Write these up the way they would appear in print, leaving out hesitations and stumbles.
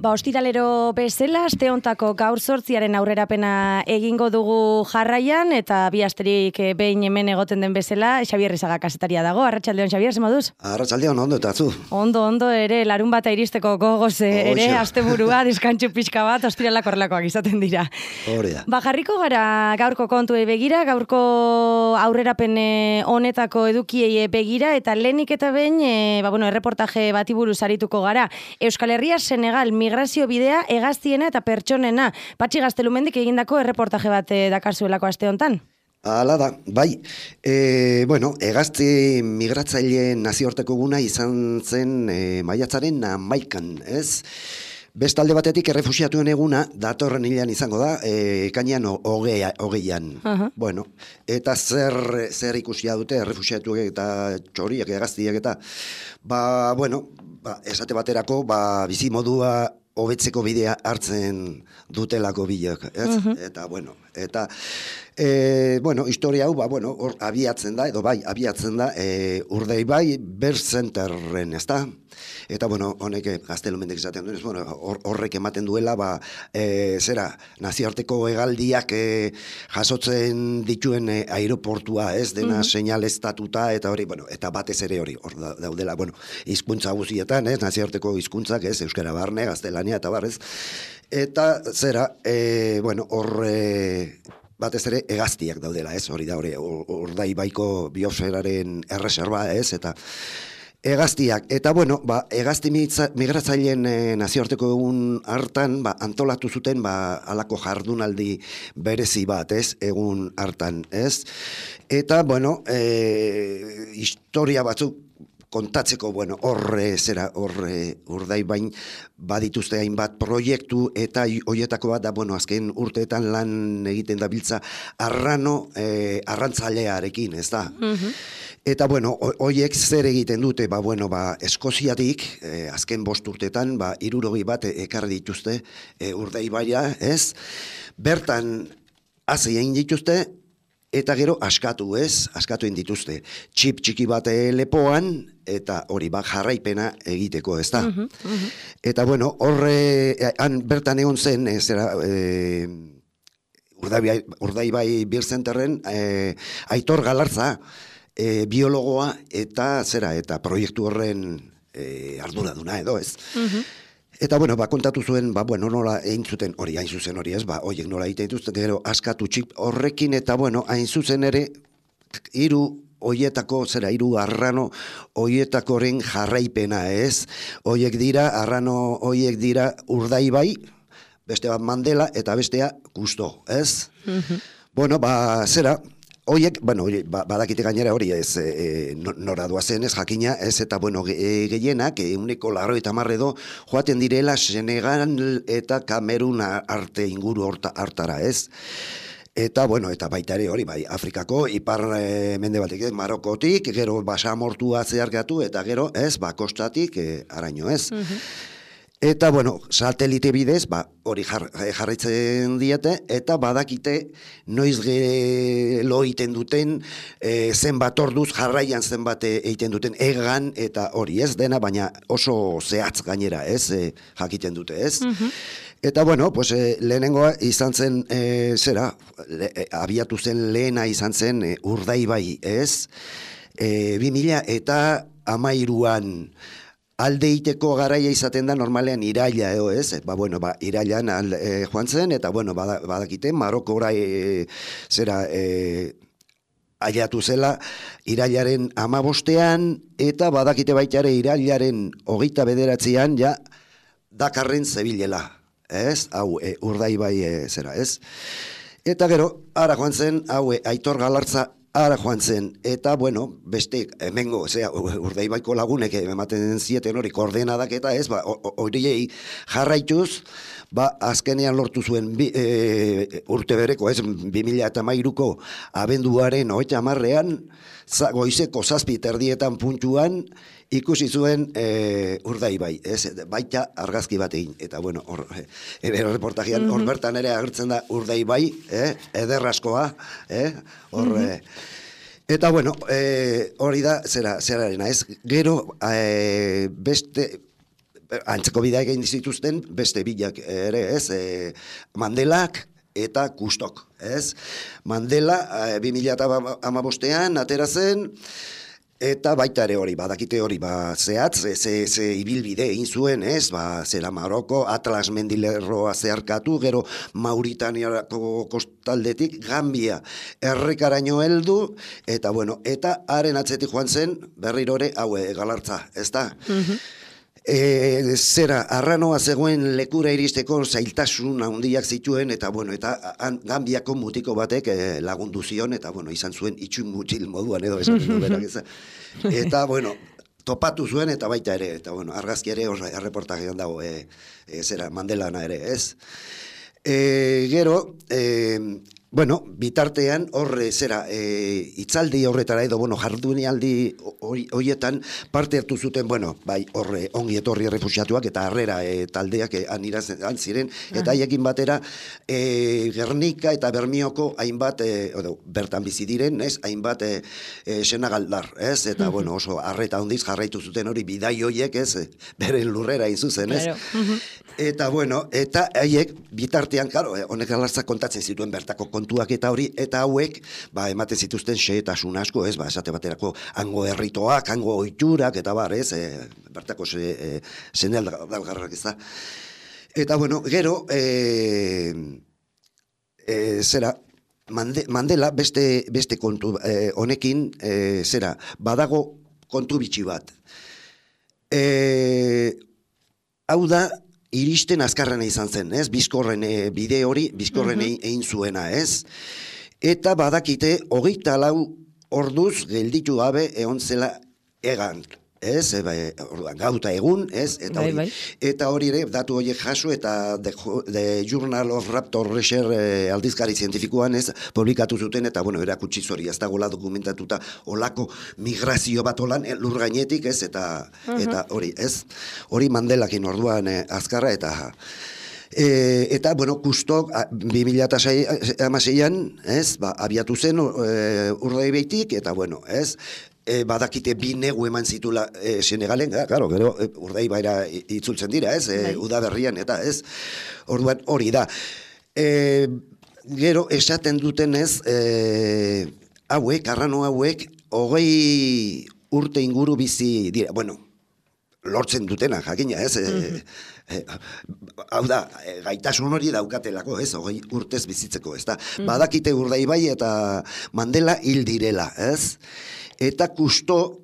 Ostiralero bezala, aste hontako gaur 8 aurrerapena egingo dugu jarraian, eta bi asterik behin hemen egoten den bezala, Xabier Rizaga kazetaria dago. Arratsaldeon, Xabier, ze moduz? Arratsaldeon, ondo eta zu? Ondo ere, larun bata iristeko gogoz ere, asteburua, diskantxu pixka bat, ostiralak horrelakoak izaten dira. Hori da. Jarriko gara gaurko kontuei begira, gaurko aurrerapen honetako edukiei begira, eta lehenik eta behin, erreportaje bati buruz arituko gara. Euskal Herria, Senegal, migrazio bidea hegaztiena eta pertsonena. Patxi Gaztelumendik egindako erreportaje bat dakarzuelako aste hontan. Hala da, bai. Hegazti migratzaileen nazioarteko eguna izan zen maiatzaren 11an, ez? Bestalde batetik errefuxiatuen eguna datorren hilean izango da, ekainean 20an. Bueno, eta zer ikusia dute errefuxiatuek eta txoriak egaztiak eta esate baterako bizimodua hobetzeko bidea hartzen dutelako bilak, ez? Historia hau, hor abiatzen da, Urdaibai Berzenterren, ez da? Eta, honek Gaztelumendik izaten duen, horrek ematen duela, nazioarteko hegaldiak jasotzen dituen aeroportua, ez, dena seinaleztatuta, eta hori, eta batez ere hori, hor daudela, hizkuntza guztietan, ez, nazioarteko hizkuntzak, ez, euskara barne, gaztelania, eta barrez, eta hor batez ere hegaztiak daudela, ez, hori da, Urdaibaiko biosferaren erreserba, ez, eta hegaztiak, eta hegazti migratzaileen nazioarteko egun hartan, antolatu zuten, halako jardunaldi berezi bat, ez, egun hartan, ez, eta, historia batzuk kontatzeko, Urdaibain badituzte hainbat proiektu, eta hoietako bat da, azken urteetan lan egiten dabiltza arrantzalearekin, ez da? Eta, hoiek zer egiten dute, Eskoziatik, azken 5 urteetan, 60 bat ekarri dituzte Urdaibaia, ez? Bertan, hazi egin dituzte, eta gero askatu egin dituzte. Txip txiki bat lepoan, eta hori jarraipena egiteko, ez da? Eta, bertan egon zen, Urdaibai Birzenterren, Aitor Galarza, biologoa, eta proiektu horren arduraduna edo, ez? Eta, kontatu zuen, nola egin zuten hori, hain zuzen hori, ez, horiek nola egiten dituzten, gero askatu txip horrekin, eta, hain zuzen ere, hiru arrano, horietakoren jarraipena, ez? Arrano horiek dira Urdaibai, beste bat Mandela, eta bestea Kusto, ez? Oiek, badakite gainera hori ez, nora doazen ez jakina, ez, eta, gehienak, 90 edo, joaten direla Senegal eta Kamerun arte inguru hartara, ez? Eta, eta baita ere hori, Afrikako, ipar mendebaldetik, Marokotik, gero basamortua zeharkatu, eta gero, ez, kostatik, araño, ez? Eta, satelite bidez, hori jarraitzen diete, eta badakite noiz lo egiten duten, zenbat orduz jarraian zenbat egiten duten egan, eta hori ez dena, baina oso zehatz gainera, ez, jakiten dute, ez? Eta, lehenengoa izan zen, abiatu zen lehena izan zen Urdaibai, ez? 2013an, alde iteko garaia izaten da normalean iraila, ez? Irailan joan zen, eta, badakite, Marokora aileatu zela irailaren 15ean, eta badakite baita ere irailaren 29ean, Dakarren zebilela, ez? Hau, Urdaibai ez? Eta gero, ara joan zen, Aitor Galartza ara joan zen, eta, bueno, beste, hemengo, Urdaibaiko lagunek ematen zieten hori koordenadak eta ez, horiei jarraituz, azkenean lortu zuen urte bereko, ez, 2013ko abenduaren 30ean, goizeko 7:30 puntuan, ikusi zuen Urdaibai, ez, baita argazki bat egin, eta bueno, reportajean, hor bertan ere agertzen da Urdaibai, ederraskoa, hor, eta bueno, hori da, zerarena, ez, gero, beste, antzeko bidea egin zituzten, beste bilak ere, ez, Mandelak, eta Kustok, ez? Mandela 2015ean atera zen, eta baita ere hori, badakite hori, zehatz, ze ibilbide egin zuen, ez? Zera Maroko, Atlas mendilerroa zeharkatu, gero Mauritaniako kostaldetik, Gambia, errekaraino heldu, eta bueno, eta haren atzetik joan zen, berrirore, Galartza, ez da? Zera, arranoa zegoen lekura iristeko zailtasun handiak zituen, eta bueno, eta Gambiako mutiko batek lagundu zion, eta bueno, izan zuen itxun mutxil moduan edo esan du berak ez. Eta bueno, topatu zuen eta baita ere, eta bueno, argazki ere erreportajean dago, zera, Mandelana ere, ez. Gero, bueno, bitartean horre zera, itzaldi horretara edo, bueno, jardunialdi horietan parte hartu zuten, bueno, bai, horre ongi etorri errefuxiatuak eta harrera taldeak anirazan ziren, eta haiekin batera Gernika eta Bermioko hainbat, bertan bizi diren, ez, hainbat senagaldar, ez, eta, bueno, oso harreta hondiz jarraitu zuten hori bidai hoiek, ez, beren lurrera izuzen, ez. Eta, bueno, eta haiek bitartean, claro, honek alartzak kontatzen zituen bertako kontuak eta hori, eta hauek, ematen zituzten xehetasun asko, ez, esate baterako hango herritoak, hango ohiturak, eta bar, ez, bertako zenel dalgarrak, ez da. Eta, bueno, gero, zera, Mandela beste kontu honekin, zera, badago kontu bitxi bat. Hau da, iristen azkarrena izan zen, ez? Bizkorren bide hori, bizkorren egin zuena, ez? Eta badakite, 24 orduz gelditu gabe egon zela egan, ez? Gauta egun, ez? Eta hori ere, datu horiek jaso, eta The Journal of Raptor Research aldizkari zientifikoan, ez? Publikatu zuten, eta, bueno, erakutsi zori, ez dagoela dokumentatuta olako migrazio bat olan lur gainetik, ez? Eta hori, ez? Hori Mandelakin orduan azkarra, eta, bueno, Kustok 2016an, ez? Abiatu zen Urdaibaitik, eta, bueno, ez? Badakite bi negu eman zitula Senegalen, claro, gero Urdaibaira itzultzen dira, ez? Udaberrian, eta ez? Orduan hori da. Gero esaten dutenez, hauek, arrano hauek, 20 urte inguru bizi dira. Bueno, lortzen dutena, jakina, ez? Hau da, gaitasun hori daukatelako, ez? 20 urtez bizitzeko, ez da? Badakite Urdaibai eta Mandela hil direla, ez? Eta Kusto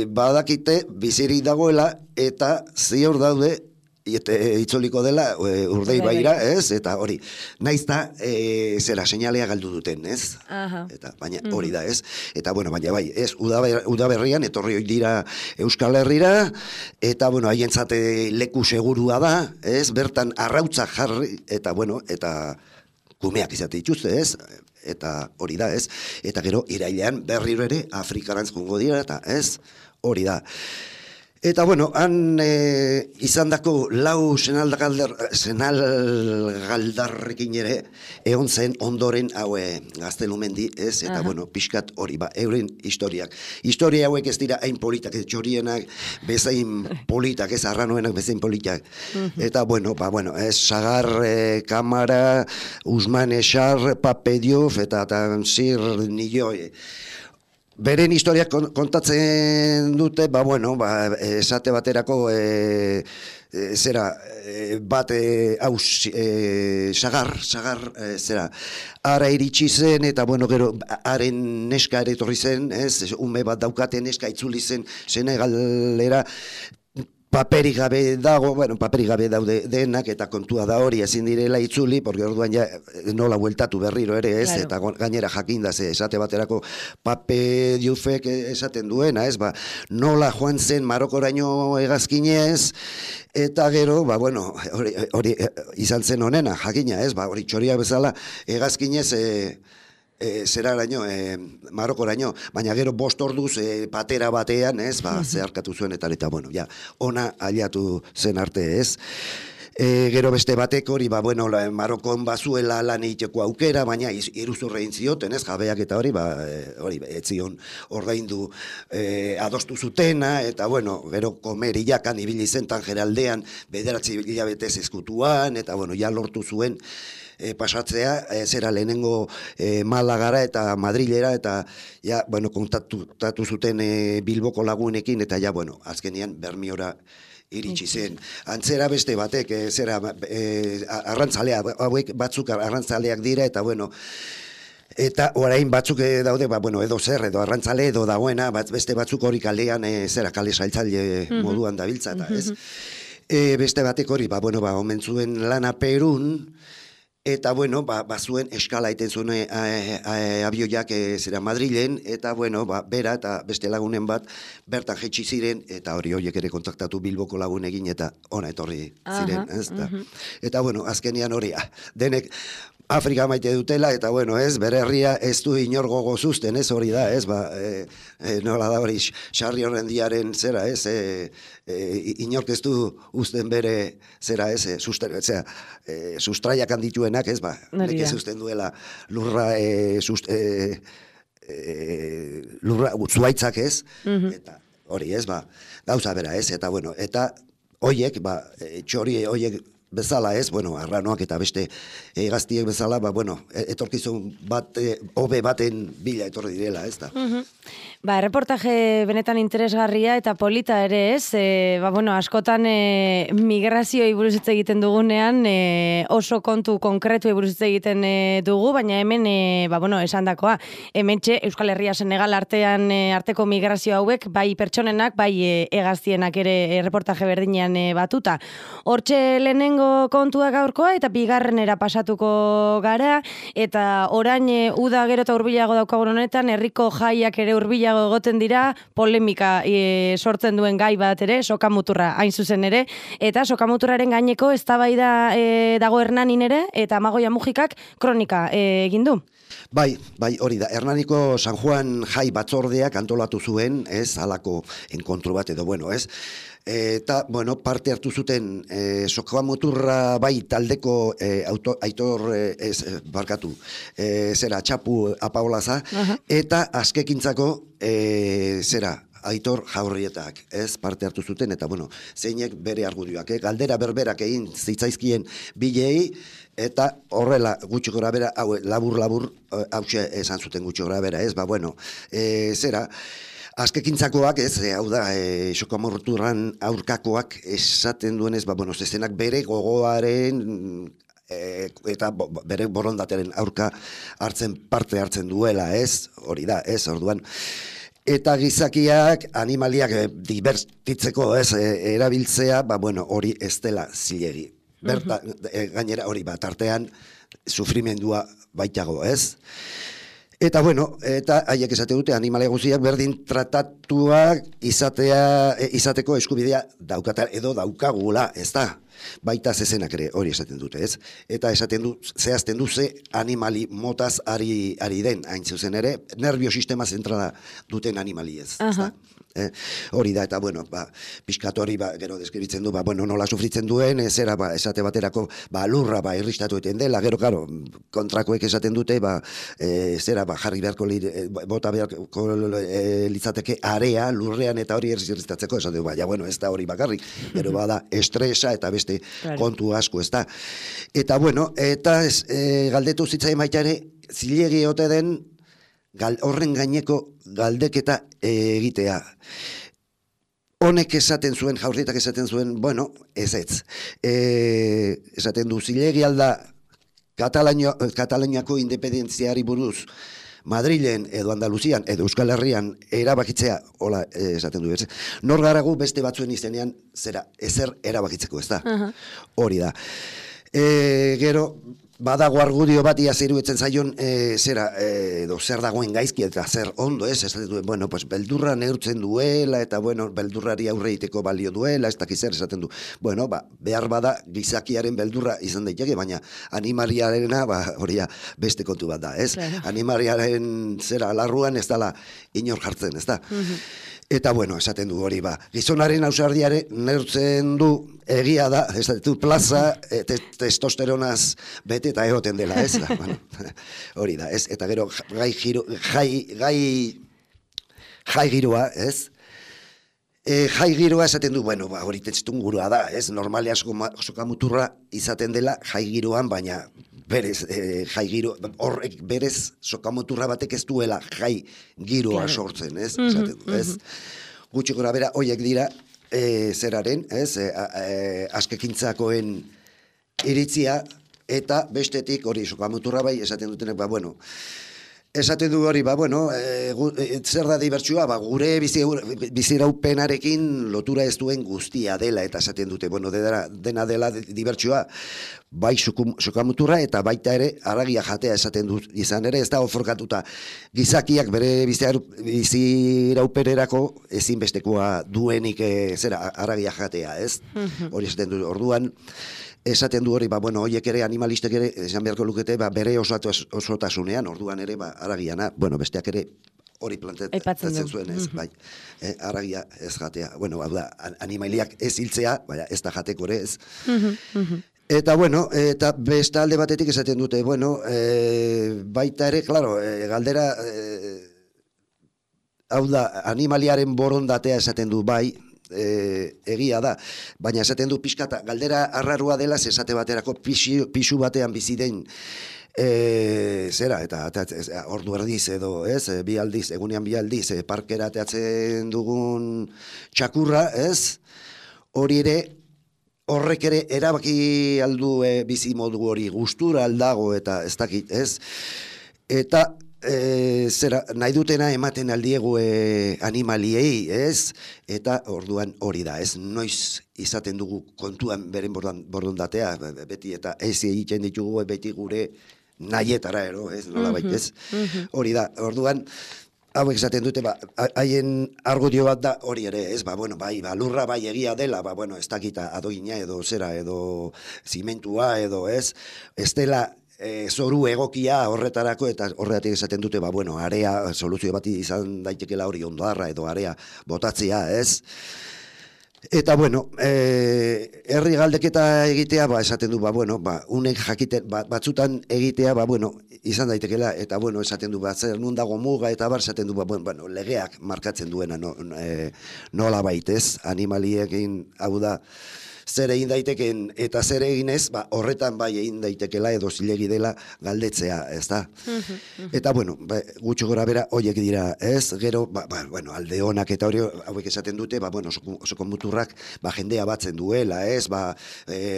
badakite bizirik dagoela eta ziur daude itzoliko dela Urdaibaira, ez? Eta hori, naizta zera seinalea galdu duten, ez? Eta baina hori da, ez? Eta bueno, baina bai, ez? Udaberrian etorri hori dira Euskal Herrira, eta bueno, haientzate leku segurua da, ez? Bertan arrautza jarri, eta bueno, eta kumeak izate dituzte, ez? Eta hori da, ez? Eta gero, irailean berriro ere Afrikarantz joango dira, eta ez? Hori da. Eta, bueno, han izandako 4 senalgaldarrekin ere egon zen ondoren hau Gaztelumendi, ez? Eta, bueno, pixkat hori, euren historiak. Historia hauek ez dira hain politak, ez txorienak bezain politak, ez arranoenak bezain politak. Eta, bueno, ez Sagar, Kamara, Usman Eshar, Pape Diouf, eta Tansir Nilloi. Beren historiak kontatzen dute, esate baterako zera, bat Sagar, zera, ara iritsi zen, eta bueno, gero, haren neska ere etorri zen, ez, ume bat daukate neska itzuli zen Senegalera, paperik gabe dago, bueno, paperik gabe daude denak, eta kontua da hori ezin direla itzuli, porque orduan ja nola bueltatu berriro ere, ez, Claro. eta gainera jakinda, ze esate baterako Pape Dioufek esaten duena, ez, nola joan zen Marokoraino hegazkinez, eta gero, bueno, hori izan zen honena, jakina, ez, hori txoria bezala hegazkinez zeraraino, Marokoraino, baina gero 5 orduz patera batean, ez, zeharkatu zuen eta bueno, ja, ona aliatu zen arte, ez. Gero beste batek hori, bueno, Marokon bazuela lan egiteko aukera, baina iruzurra egin zioten, ez, jabeak eta hori, hori, etzion ordaindu adostu zutena, eta bueno, gero komeriakan ibili zen Tangeraldean, 9 hilabetez ezkutuan, eta bueno, ja lortu zuen pasatzea, zera lehenengo Malagara eta Madrilera, eta ja, bueno, kontaktatu zuten Bilboko lagunekin, eta ja, bueno, azkenian Bermiora iritsi zen. Antzera beste batek, zera, arrantzaleak, hauek batzuk arrantzaleak dira, eta bueno, eta orain batzuk daude, bueno, edo zer, edo arrantzale, edo dagoena, beste batzuk hori kalean, zera, kale saltzaile moduan dabiltza, eta ez? Beste batek hori, bueno, omen zuen lana Perun, eta, bueno, bazuen eskala iten zuen abioiak zera Madrilen, eta, bueno, bera eta beste lagunen bat bertan jetxi ziren, eta hori horiek ere kontaktatu Bilboko lagunekin, eta ona etorri ziren, ez? Eta, bueno, azkenian hori, denek Afrika maite dutela, eta, bueno, ez, bere herria ez du inor gogo zuzten, ez, hori da, ez, nola da hori, Sarri Horrendiaren zera, ez, inork ez du uzten bere, zera, ez, sustraiak handituenak, ez, nek ez uzten duela lurra, lurra, zuaitzak ez, eta hori, ez, gauza bera, ez, eta, bueno, eta hoiek, txori hoiek bezala, ez, bueno, arranoak eta beste gaztiek bezala, bueno, etorkizun bat, hobe baten bila etorri direla, ez da. Erreportaje benetan interesgarria eta polita ere, ez? Bueno, askotan migrazioi buruz hitz egiten dugunean, oso kontu konkretu buruz hitz egiten dugu, baina hemen, bueno, esandakoa, hementxe Euskal Herria Senegal arteko migrazio hauek, bai pertsonenak, bai hegaztienak ere erreportaje berdinean batuta. Hortxe lehenengo kontua gaurkoa eta bigarrenera pasatuko gara, eta orain uda gero eta hurbilago daukagun honetan, herriko jaiak ere hurbilago egoten dira, polemika sortzen duen gai bat ere, sokamuturra hain zuzen ere, eta sokamuturraren gaineko eztabaida dago Hernanin ere, eta Amagoia Mujikak kronika egin du. Bai, hori da. Hernaniko San Juan jai batzordeak antolatu zuen, ez, halako enkontru bat edo, bueno, ez. Eta, bueno, parte hartu zuten sokamuturra bai taldeko Aitor, zera, Txapu Apaolaza, eta askekintzako, zera, Aitor Jaurrietak, ez, parte hartu zuten, eta, bueno, zeinek bere argudioak, galdera berberak egin zitzaizkien bilei, eta horrela gutxi gora bera, labur, hause esan zuten gutxi gora bera, ez, bueno, zera, azkekintzakoak, ez, hau da, sokamorturran aurkakoak esaten duenez, bueno, zezenak bere gogoaren eta bere borondateren aurka parte hartzen duela, ez, hori da, ez, orduan, eta gizakiak, animaliak divertitzeko, ez, erabiltzea, bueno, hori ez dela zilegi. Gainera hori tartean, sufrimendua baitago, ez? Eta, bueno, eta haiek esate dute animalia guztiak berdin tratatuak izateko eskubidea daukata edo daukagula, ez da? Baita zezenak ere hori esaten dute, ez? Eta zehazten du ze animali motaz ari den, hain zuzen ere, nervio sistema zentrala duten animali ez, ez da? Hori da, eta, bueno, pixkat hori, gero deskribitzen du, bueno, nola sufritzen duen, zera, esate baterako, lurra, irristatu eten dela, gero, karo, kontrakoek esaten dute, zera, jarri beharko, bota beharko litzateke area, lurrean, eta hori irristatzeko, esaten du, bueno, ez da hori bakarrik, gero bada estresa, eta beste kontu asko, ez da. Eta, bueno, eta galdetu zitzaien baita ere, zilegi ote den, horren gaineko galdeketa egitea. Honek esaten zuen, Jaurrietak esaten zuen, bueno, ez. Esaten du, zilegi alda Kataluniako independentziari buruz Madrilen edo Andaluzian edo Euskal Herrian erabakitzea, hola esaten du, nor garagu beste batzuen izenean ezer erabakitzeko, ez da? Hori da. Gero, badago argudio bat ia iruditzen zaion edo zer dagoen gaizki eta zer ondo esaten duen, bueno, pues beldurra neurtzen duela eta bueno, beldurrari aurre egiteko balio duela, ez dakiz zer esaten du. Bueno, behar bada gizakiaren beldurra izan daiteke, baina animaliarena, hori beste kontu bat da, ez? Animaliaren larruan ez dala inor jartzen, ez da? Eta bueno, esaten du hori gizonaren ausardiare neurtzen du egia da, esaten du plaza testosteronaz bete eta egoten dela, ez? Bueno, hori da, ez? Eta gero jai giroa, ez? Jai giroa esaten du, bueno, hori tetztun gurua da, ez? Normalean sokamuturra izaten dela jai giroan, baina berez, jai giro, horrek berez sokamuturra batek ez duela jai giroa sortzen, ez? Ez? Gutxi gora bera, horiek dira, zeraren, ez? Askekintzakoen iritzia, eta bestetik hori sokamuturra bai, esaten dutenek, bueno, esaten du hori, bueno, zer da dibertsua, gure biziraupenarekin lotura ez duen guztia dela, eta esaten dute, bueno, dena dela dibertsua, bai sokamuturra eta baita ere haragia jatea esaten dut izan ere, ez da oforkatuta gizakiak bere biziraupenerako ezinbestekoa duenik haragia jatea, ez? Hori esaten du, orduan, esaten du hori, bueno, horiek ere animalistek ere, esan beharko lukete, bere osotasunean, orduan ere, haragiana, bueno, besteak ere hori planteatzen zuen, ez, bai, haragia ez jatea, bueno, hau da, animaliak ez hiltzea, baina ez da jateko ere, ez. Eta, bueno, eta beste alde batetik esaten dute, bueno, baita ere, klaro, galdera, hau da, animaliaren borondatea esaten du, bai, egia da, baina esaten du pixkata, galdera arrarua dela, esate baterako pisu batean bizi den eta ordu erdiz edo, ez, egunean bi aldiz, parkera teatzen dugun txakurra, ez, hori ere, horrek ere erabaki aldu bizi modu hori gustura aldago eta ez dakit, ez, eta nahi dutena ematen aldiegu animaliei, ez? Eta orduan hori da, ez? Noiz izaten dugu kontuan beren borondatea, beti eta ez egiten ditugu beti gure nahietara, ez? Nola baitez? Hori da, orduan, hauek esaten dute, haien argudio bat da hori ere, ez? Bueno, lurra bai egia dela, bueno, ez dakita adogina edo zera, edo zimentua edo, ez? Ez dela zoru egokia horretarako eta horregatik esaten dute, bueno, area soluzio bat izan daitekela hori ondoarra edo area botatzea, ez? Eta, bueno, herri galdeketa egitea, esaten du, bueno, unek jakiten, batzutan egitea, bueno, izan daitekela, eta, bueno, esaten du, zer nun dago muga, eta esaten du, bueno, legeak markatzen duena nola baitez, animaliekin, hau da, zer egin daiteken eta zer eginez, horretan bai egin daitekela edo zilegi dela galdetzea, ez da? Eta, bueno, gutxo gora bera, horiek dira, ez? Gero, bueno, alde honak eta hori hauek esaten dute, bueno, sokomuturrak jendea batzen duela, ez?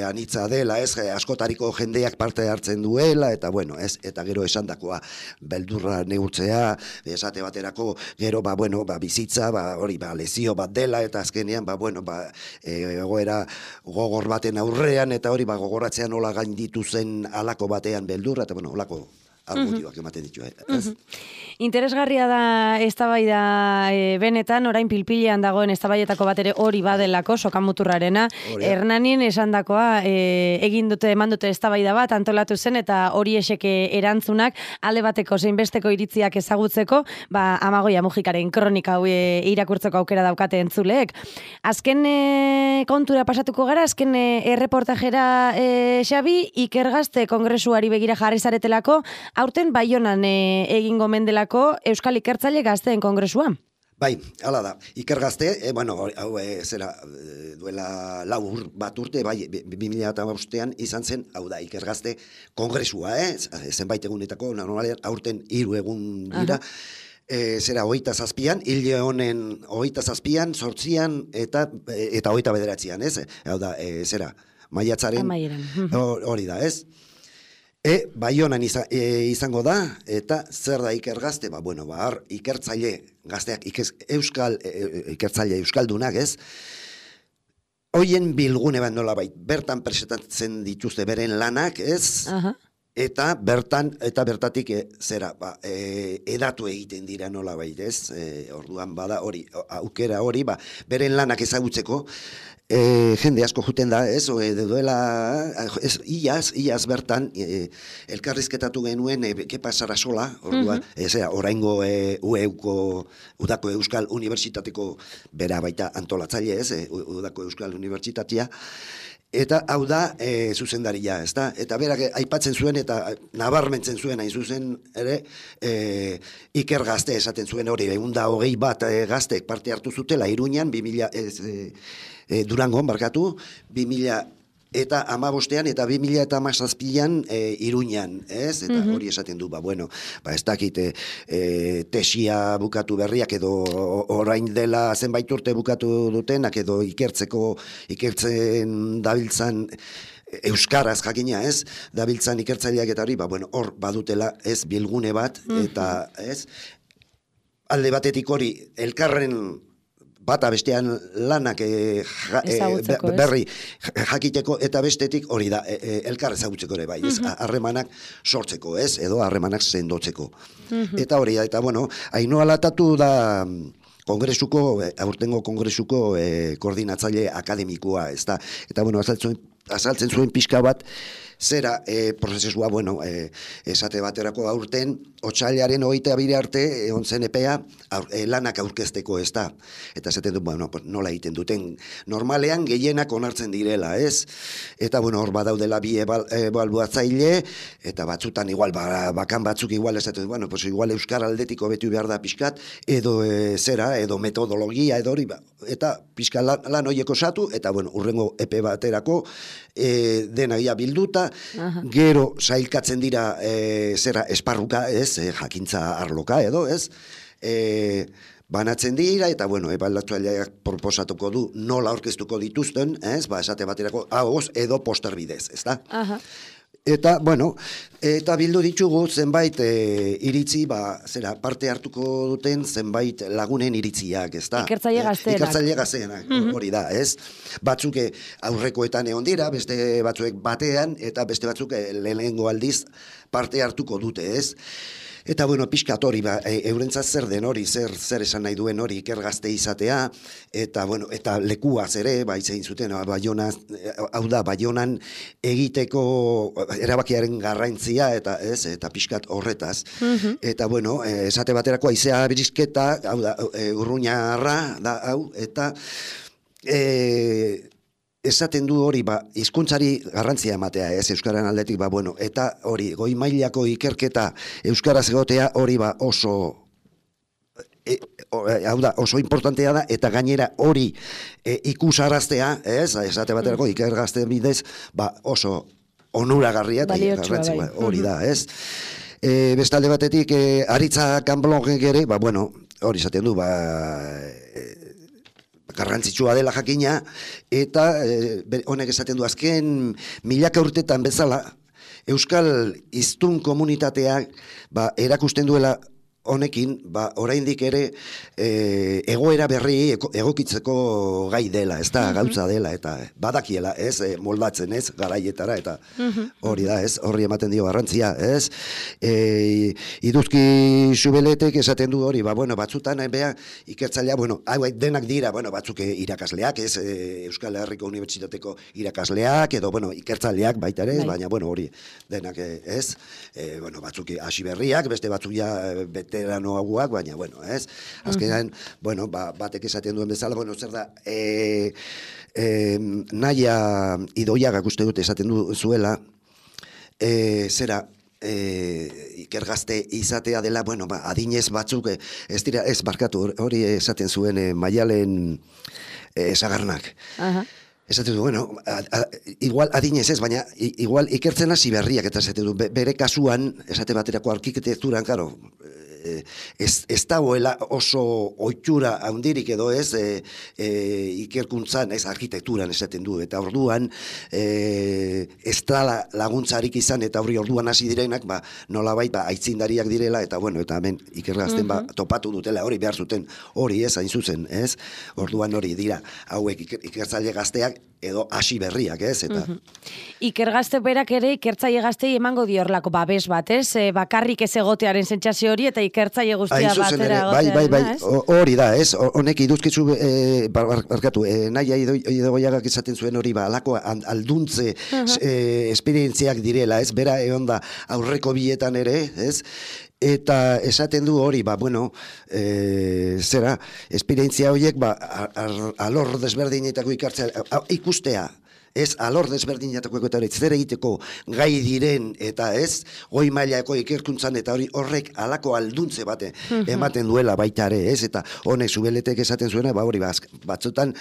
Anitza dela, ez? Askotariko jendeak parte hartzen duela, eta, bueno, ez? Eta gero esandakoa, beldurra neurtzea, esate baterako, gero, bueno, bizitza, hori, lezio bat dela, eta azkenean, bueno, egoera gogor baten aurrean, eta hori gogoratzean nola gainditu zen alako batean beldurra, eta bueno, olako argudioak ematen ditu. Interesgarria da eztabaida benetan, orain pilpilean dagoen eztabaietako bat ere hori badelako, sokamuturrarena. Hernanien esandakoa egin dute, eman dute eztabaida bat, antolatu zen, eta hori eseke erantzunak, alde bateko zein besteko iritziak ezagutzeko, Amagoia Mujikaren kronika hau irakurtzeko aukera daukate entzuleek. Azken kontura pasatuko gara, azken erreportajera Xabi, Ikergazte kongresuari begira jarri zaretelako, aurten Baionan egingo mendelako Euskal Ikertzaile Gazteen kongresua. Bai, hala da. Ikergazte, bueno, hau duela bat urte, 2005an izan zen, hau da, Ikergazte kongresua, zenbait egunetako, normalean, aurten 3 egun dira, 27an, hile honen 27an, 8an, eta 29an, ez? Hau da, maiatzaren, hori da, ez? Baionan izango da, eta zer da Ikergazte? Bueno, ikertzaile gazteak, ikertzaile euskaldunak, ez? Hoien bilgune bat nolabait, bertan presentatzen dituzte beren lanak, ez? Eta bertatik edatu egiten dira nolabait, ez? Orduan bada hori, aukera hori, beren lanak ezagutzeko, jende asko juten da, ez? Duela, iaz bertan, elkarrizketatu genuen, Kepa Sarasola, orduan, oraingo Udako Euskal Unibertsitateko bera baita antolatzaile, ez? Udako Euskal Unibertsitatea, eta hau da zuzendaria, ezta? Eta berak aipatzen zuen eta nabarmentzen zuen hain zuzen ere Ikergazte esaten zuen hori, 120 gaztek parte hartu zutela Iruñan, Durangon, 2000 eta 15ean eta 2017an Iruñan, ez? Eta hori esaten du, ez dakit tesia bukatu berriak edo orain dela zenbait urte bukatu dutenak edo ikertzen dabiltzan euskaraz jakina, ez? Dabiltzan ikertzaileak eta hori, hor badutela ez bilgune bat, eta ez? Alde batetik hori elkarren bata bestean lanak berri jakiteko eta bestetik hori da, elkar ezagutzeko ere bai, ez? Harremanak sortzeko, ez? Edo harremanak sendotzeko. Eta hori da, eta Ainhoa Latatu da aurtengo kongresuko koordinatzaile akademikoa, ez da? Eta azaltzen zuen pixka bat, zera prozesua, esate baterako aurten, otsailaren 22 arte egon zen epea lanak aurkezteko, ez da. Eta esaten du, nola egiten duten, normalean gehienak onartzen direla, ez? Eta, hor badaudela bi ebaluatzaile, eta batzutan igual, bakan batzuk igual esaten du, igual euskara aldetiko betu behar da pixkat, edo edo metodologia, edo hori, eta pixka lan horiek osatu, eta, urrengo epe baterako denagia bilduta, gero sailkatzen dira esparruka, ez, jakintza arloka edo, ez, banatzen dira, eta, ebaluatzaileak proposatuko du nola aurkeztuko dituzten, ez, esate baterako, ahoz edo poster bidez, ez da? Eta, eta bildu ditugu zenbait iritzi, parte hartuko duten zenbait lagunen iritziak, ez da? Ikertzaile gazteenak. Ikertzaile gazteenak, hori da, ez? Batzuk aurrekoetan egon dira, beste batzuek batean, eta beste batzuk lehenengo aldiz parte hartuko dute, ez? Eta, pixkat hori, eurentzat zer den hori, zer esan nahi duen hori Ikergazte izatea, eta, eta lekuaz ere, zein zuten, Baionan egiteko erabakiaren garrantzia, eta ez, eta pixkat horretaz. Eta, esate baterako haizea birizketa, hau da, urruñarra, da, hau, eta esaten du hori, hizkuntzari garrantzia ematea, ez, euskaren aldetik, eta hori, goi mailako ikerketa euskaraz egotea hori oso, hau da, oso importantea da, eta gainera hori ikusaraztea, ez, esate baterako Ikergazte bidez, oso onuragarria eta garrantzia, hori da, ez. Bestalde batetik, Aritza Kanblongek ere, hori esaten du, garrantzitsua dela jakina, eta honek esaten du azken milaka urtetan bezala, euskal hiztun komunitateak erakusten duela honekin, oraindik ere egoera berri egokitzeko gai dela, ez da, gauza dela, eta badakiela, ez, moldatzen, ez, garaietara, eta hori da, ez, horri ematen dio garrantzia, ez, Iduzki Subeletek esaten du hori, batzutan, ikertzailea, hau denak dira, batzuk irakasleak, ez, Euskal Herriko Unibertsitateko irakasleak, edo, ikertzaileak baita ere, baina, hori, denak, ez, batzuk hasi berriak, beste batzuk ja veteranoagoak, baina, ez? Azkenean, batek esaten duen bezala, zer da, Naia Idoiagak uste dut esaten zuela, zera, Ikergazte izatea dela, adinez batzuk, ez barkatu, hori esaten zuen Maialen Sagarnak. Esaten du, bueno, igual adinez ez, baina igual ikertzen hasi berriak, eta esaten du, bere kasuan, esate baterako arkitekturan, karo, ez dagoela oso ohitura handirik edo ez ikerkuntzan, ez arkitekturan esaten du, eta orduan ez da laguntzarik izan, eta orduan hasi direnak, nolabait aitzindariak direla, eta bueno, eta hemen ikergazten topatu dutela, hori behar zuten, hori ez, hain zuzen, ez? Orduan hori dira, hauek ikertzaile gazteak, edo hasi berriak, ez? Eta Ikergazte berak ere ikertzaile gaztei emango diorlako babes bat, ez? Bakarrik ez egotearen sentsazio hori eta ikertzaile guztia batera egotearen, bai, hori da, ez? Honek iduzkitzu, barkatu, naia idogoiagak esaten zuen hori, alako alduntze esperientziak direla, ez? Bera egon da aurreko bietan ere, ez? Eta esaten du hori, bueno, zera, esperientzia horiek, alor desberdinetako ikustea, ez alor desberdinetako eta hori zer egiteko gai diren, eta ez, goi mailako ikerkuntzan, eta horrek alako alduntze bate ematen duela baita ere, ez, eta honek Zubeletek esaten zuena, hori batzutan,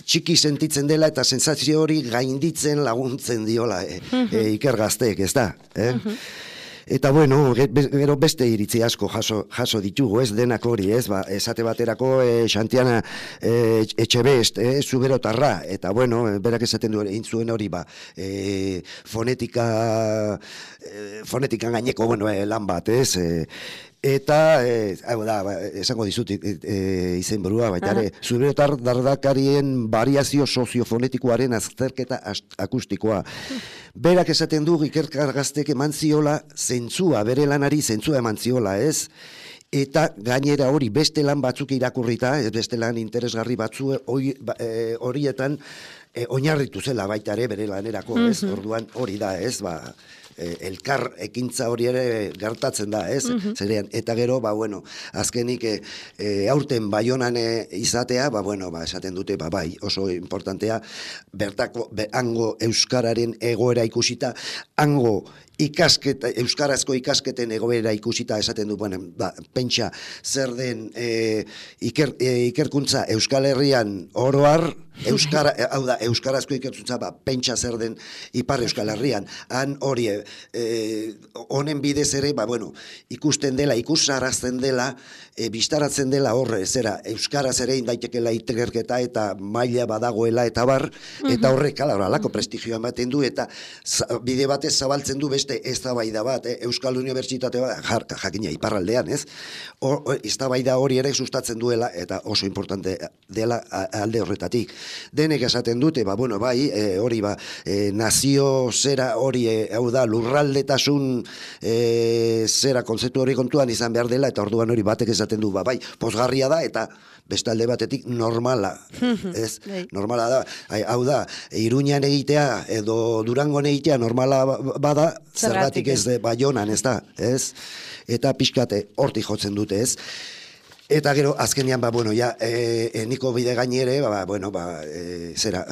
txiki sentitzen dela eta sensazio hori gainditzen laguntzen diola ikergazteek, ez da, Eta bueno, gero beste iritzi asko jaso ditugu, ez denak hori, ez, esate baterako Xantiana Etxebest, Zuberotarra, eta bueno, berak esaten du zuen hori, fonetikan gaineko, bueno, lan bat, ez, eta, hau da, esango dizut izen burua, baita ere, Zuberotar dardakarien variazio soziofonetikoaren azterketa akustikoa. Berak esaten du ikergaztek eman ziola zentzua, bere lanari zentzua eman ziola, ez? Eta gainera hori beste lan batzuk irakurrita, beste lan interesgarri batzu horietan oinarritu zela baita ere bere lanerako, ez? Orduan hori da, ez? Elkar ekintza hori ere gertatzen da, ez? Zerean, eta gero, bueno, azkenik aurten Baionan izatea, bueno, esaten dute, bai, oso importantea, bertako, hango euskararen egoera ikusita, hango euskarazko ikasketen egoera ikusita esaten du, bueno, pentsa zer den ikerkuntza Euskal Herrian oroar, hau da, euskarazko ikerkuntza, pentsa zer den Ipar Euskal Herrian, han hori, honen bidez ere, bueno, ikusten dela, ikusarazten dela, bistaratzen dela horre, zera, euskaraz ere indaitekela ikerketa eta maila badagoela eta bar, eta horrek, alako prestigioa ematen du, eta bide batez zabaltzen du beste eztabaida bat, Euskal Unibertsitate bat, jakina, iparraldean, ez? Eztabaida hori ere sustatzen duela, eta oso importante dela alde horretatik. Denek esaten dute, bueno, bai, hori, nazio zera hori, hau da, lurraldetasun zera kontzeptu hori kontuan izan behar dela, eta orduan hori batek esaten du, bai, pozgarria da, eta beste alde batetik normala, ez? Normala da, hau da, Iruñan egitea edo Durangon egitea normala bada, zergatik ez Baionan, ez da, ez? Eta pixkate hortik jotzen dute, ez? Eta gero, azkenean, bueno, eneko bide gainere, bueno, zera,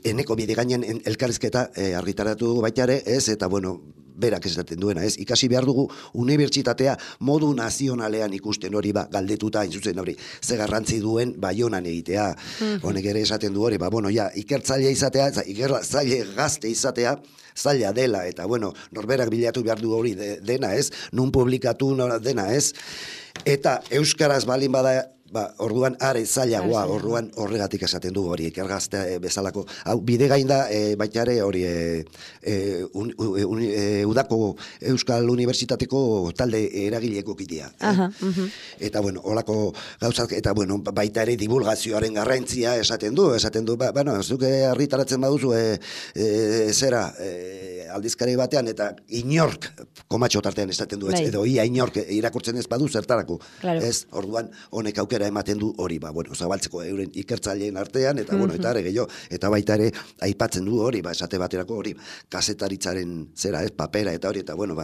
eneko bide gainen elkarrizketa argitaratu baita ere, ez? Eta, bueno, berak esaten duena, ez? Ikasi behar dugu unibertsitatea modu nazionalean ikusten hori, galdetuta, zuzen hori, ze garrantzi duen Baionan egitea. Honek ere esaten du hori, bueno, ikertzaile izatea, ikertzaile gazte izatea, zaila dela, eta, bueno, norberak bilatu behar du hori dena, ez? Nun publikatu dena, ez? Eta euskaraz balin bada, orduan are zailagoa, orduan horregatik esaten du hori, ikergazte bezalako. Hau, bide gain da, baita ere hori, udako Euskal Unibertsitateko talde eragileko kidea. Eta, bueno, holako gauzak, eta, bueno, baita ere divulgazioaren garrantzia esaten du, bueno, zuke argitaratzen baduzu, zera, aldizkari batean, eta inork, komatxo tartean esaten du, edo ia inork irakurtzen ez badu zertarako. Ez, orduan, honek aukera ematen du hori, bueno, zabaltzeko euren ikertzaileen artean, eta, bueno, eta ere gehiago, eta baita ere, aipatzen du hori, esate baterako hori, kazetaritzaren zera, papera, eta hori, eta, bueno,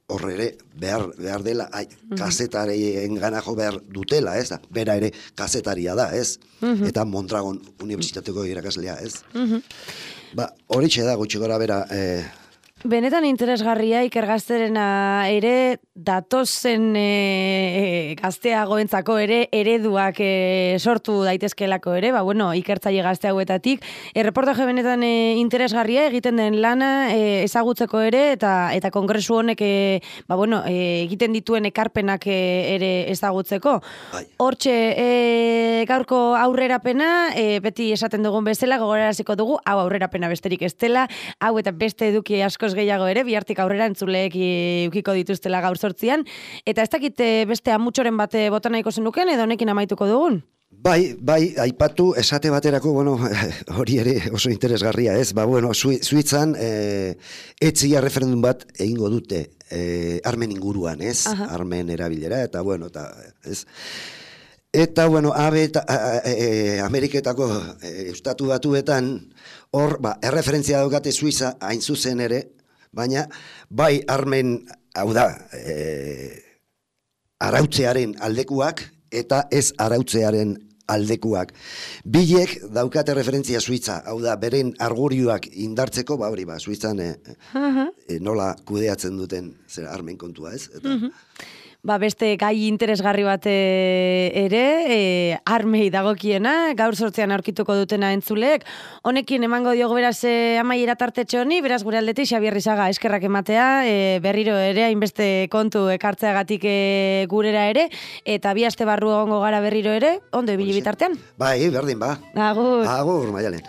horre ere, behar dela, kazetarien gana jo behar dutela, ez da, bera ere kazetaria da, ez, eta Mondragon Unibertsitateko irakaslea, ez. Hori da, gutxi gora bera, Benetan interesgarria ikergazterena ere datozen gazteagoentzako ere ereduak sortu daitezkelako ere, ikertzaile gazte hauetatik. Erreportaje benetan interesgarria egiten den lana ezagutzeko ere eta kongresu honek egiten dituen ekarpenak ere ezagutzeko. Hortxe gaurko aurrerapena, beti esaten dugun bezala, gogoraraziko dugu, hau aurrerapena besterik ez dela, hau eta beste eduki askoz gehiago ere, bihartik aurrera entzuleek ukiko dituztela gaur 8an, eta ez dakit beste amutxoren bat bota nahiko zenuken, edo honekin amaituko dugun? Bai, aipatu esate baterako, hori ere oso interesgarria, ez? Suitzan etzia referendum bat egingo dute armen inguruan, ez? Armen erabilera, eta ez? Eta, Ameriketako estatu batuetan, hor, erreferentzia daukate Suiza hain zuzen ere, baina, bai armen, hau da, arautzearen aldekuak, eta ez arautzearen aldekuak. Bilek daukate referentzia Suiza, hau da, beren argurioak indartzeko, Suizan nola kudeatzen duten armen kontua, ez? Eta, beste gai interesgarri bat ere, armei dagokiena, gaur 8an aurkituko dutena entzuleek. Honekin emango diogu beraz amaiera tartetxo honi, beraz gure aldetik Xabier Rizaga eskerrak ematea, berriro ere hainbeste kontu ekartzeagatik gurera ere, eta 2 aste barru egongo gara berriro ere, ondo ibili bitartean. Bai, berdin, Agur. Agur, Maialen.